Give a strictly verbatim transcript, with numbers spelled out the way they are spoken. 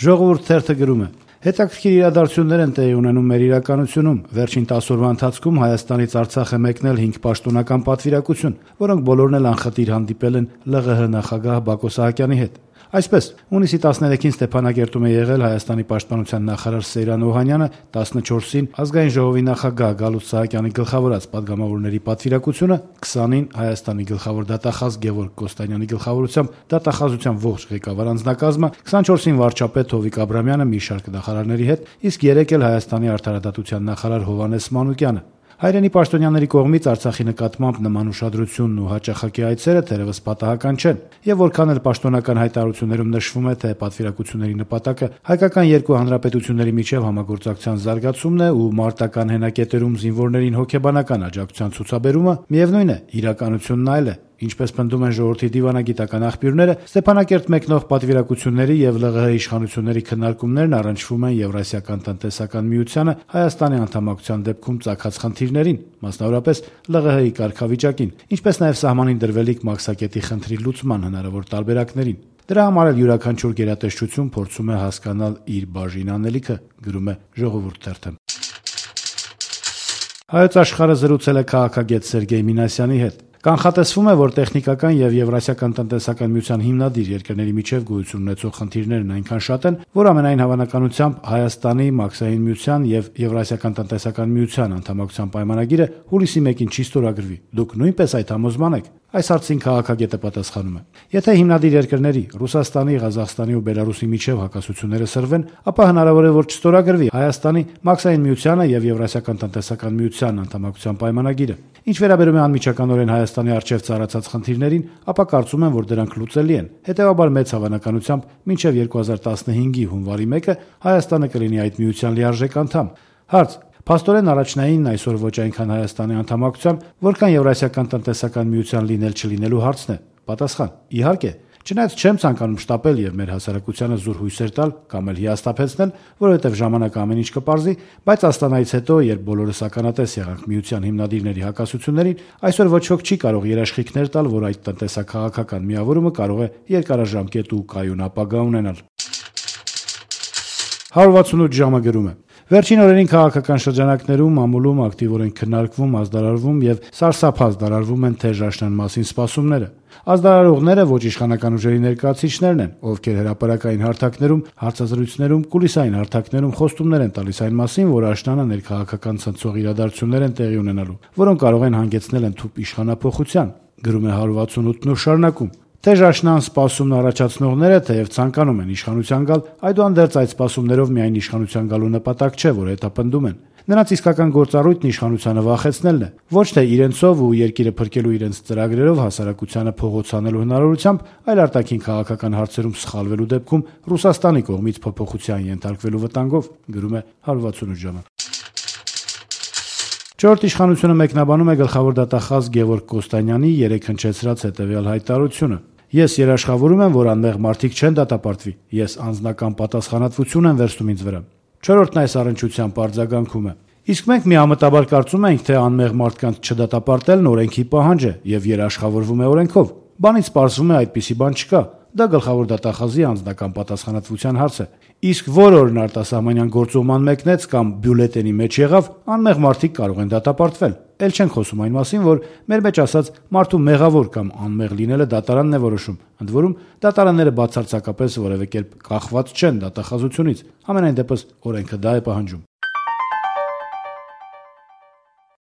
Ժողովուրդ թերթը գրում է. հետաքրքիր իրադարձություններ են տեղի ունենում մեր իրականությունում։ Վերջին տասը օրվա ընթացքում Հայաստանից Արցախ է մեկնել հինգ պաշտոնական պատվիրակություն, որոնք բոլորն էլ անխտիր հանդիպել են ԼՂՀ նախագահ Բակո Սահակյանի հետ։ Այսպես, հունիսի տասներեքին Ստեփանագերտում է եղել Հայաստանի պաշտպանության նախարար Սեյրան Օհանյանը, տասնչորսին Ազգային ժողովի նախագահ Գալուստ Սահակյանի գլխավորած պատգամավորների պատվիրակությունը, քսանին Հայաստանի գլխավոր դատախազ Գևորգ Կոստանյանի գլխավորությամբ դատախազության ողջ ղեկավար անձնակազմը, քսանչորսին վարչապետ Հովիկ Աբրամյանը մի շարք նախարարների հետ, իսկ երեկ էլ Հայաստանի արդարադատության նախարար Հովհաննես Մանուկյանը։ Հայրենի պաշտոնյաների կողմից Արցախի նկատմամբ նման ուշադրությունն ու հաճախակի այցերը թերևս պատահական չեն, եւ որքան էլ պաշտոնական հայտարարություններում նշվում է, թե պատվիրակությունների նպատակը հայկական երկու հանրապետությունների միջև համագործակցության զարգացումն է ու մարտական հենակետերում զինվորներին հոգեբանական աջակցության ցուցաբերումը, միևնույն է, իրականությունն այլ է։ Ինչպես պնդում են ժողովրդի դիվանագիտական աղբյուրները, Ստեփանակերտ մեկնող պատվիրակությունների եւ ԼՂՀ իշխանությունների քննարկումներն առնչվում են Եվրասիական տնտեսական միությանը Հայաստանի անդամակցության դեպքում ծագած խնդիրներին, մասնավորապես ԼՂՀ-ի կարգավիճակին, ինչպես նաեւ սահմանին դրվելիք մաքսակետի խնդրի լուծման հնարավոր տարբերակներին։ Դրա համար էլ յուրաքանչյուր գերատեսչություն փորձում է հասկանալ իր բաժին անելիքը, գրում է Ժողովուրդ թերթը։ Հայոց աշխարհը զրուցել է քաղաքագետ Սերգեյ Մինասյանի հետ։ Կանխատեսվում է, որ տեխնիկական եւ Եվրասիական տնտեսական միության հիմնադիր երկրների միջև գոյություն ունեցող խնդիրներն այնքան շատ են, որ ամենայն հավանականությամբ Հայաստանի, Մաքսային միության եւ Եվրասիական տնտեսական միության անդամակցության պայմանագիրը հուլիսի մեկին չի ստորագրվի։ Դուք նույնպես այդ համոզման եք։ Այս հարցին քաղաքագետը պատասխանում է. Եթե հիմնադիր երկրների Ռուսաստանի, Ղազախստանի ու Բելարուսի միջև հակասությունները սրվեն, ապա հնարավոր է, որ չստորագրվի Հայաստանի, Մաքսային միությանը եւ Եվրասիական տնտեսական միության անդամակցության պայմանագիրը։ Ինչ վերաբերում է անմիջականորեն Հայաստանի արչեւ ծառացած խնդիրներին, ապա կարծում եմ, որ դրանք լուծելի են։ Հետևաբար մեծ հավանականությամբ մինչեւ երկու հազար տասնհինգի հունվարի մեկը Հայաստանը կլինի այդ միության լիարժեք անդամ։ Հարց. Փաստորեն առաջնային այսօր ոչ այնքան Հայաստանի անդամակցության, որքան Եվրասիական տնտեսական միության լինել-չլինելու հարցն է։ Պատասխան. իհարկե, չնայած չեմ ցանկանում շտապել եւ մեր հասարակությանը զուր հույսեր տալ կամ էլ հիասթափեցնել, որովհետեւ ժամանակը ամեն ինչ կպարզի, բայց Աստանայից հետո, երբ բոլորս ականատես եղանք միության հիմնադիրների հակասություններին, այսօր ոչ ոք չի կարող երաշխիքներ տալ, որ այդ տնտեսական-քաղաքական միավորումը կարող է երկարաժամկետ ու կայուն ապագա ունենալ։ հարյուր վաթսունութ ժամը գրում է. Վերջին օրերին քաղաքական շրջանակներում ամուլում ակտիվորեն քննարկվում, ազդարարվում եւ սարսափած դարարվում են թեժաշնան մասին սպասումները։ Ազդարարողները ոչ իշխանական ուժերի ներկայացուցիչներն են, ովքեր հրապարակային հարթակներում, հարցազրույցներում, կուլիսային հարթակներում խոստումներ են տալիս այն մասին, որ աշնանը ներքաղաքական ցնցող իրադարձություններ են տեղի ունենալու, որոնք կարող են հանգեցնել ընդհուպ իշխանափոխության, գրում է հարյուր վաթսունութն ու շարունակում. Թեժաշնան սպասումն առաջացնողները թեև ցանկանում են իշխանության գալ, այդուհանդերձ այդ սպասումներով միայն իշխանության գալու նպատակ չէ, որ հետապնդում են։ Նրանց իսկական գործառույթն իշխանությանը վախեցնելն է, ոչ թե իրենցով ու երկիրը փրկելու իրենց ծրագրերով հասարակությանը փողոցանելու հնարավորությամբ, այլ արտաքին քաղաքական հարցերում սխալվելու դեպքում Ռուսաստանի կողմից փոփոխության ենթարկվելու վտանգով, գրում է հարյուր վաթսունութ ժամը։ Չորրորդ իշխանությունը մեկնաբանում է գլխավոր դատախազ Գևորգ Կոստանյանի երեկ հնչեցրած հետևյալ հայտարարությունը. Ես երաշխավորում եմ, որ անմեղ մարդիկ չեն դատապարտվի, ես անձնական պատասխանատվություն եմ վերցնում ինձ վրա։ Չորրորդն այս առնչությամբ արձագանքում է. Իսկ մենք միամտաբար կարծում ենք, թե անմեղ մարդկանց չդատապարտելն օրենքի պահանջ է եւ երաշխավորվում է օրենքով։ Բանից պարզվում է այդպիսի բան չկա։ Դա գլխավոր դատախազի անձնական պատասխանատվության հարց է։ Իսկ որ օրն արտասահմանյան գործողման մեկնեց կամ բյուլետենի մեջ եղավ, անմեղ մարդիկ կարող են դատապարտվել։ Էլ չենք խոսում այն մասին, որ մեր մեջ ասած մարդու մեղավոր կամ անմեղ լինելը դատարանն է որոշում։ Ընդ որում, դատարանները բացարձակապես որևէ կերպ կախված չեն դատախազությունից։ Համենայն դեպս օրենքը դա է պահանջում։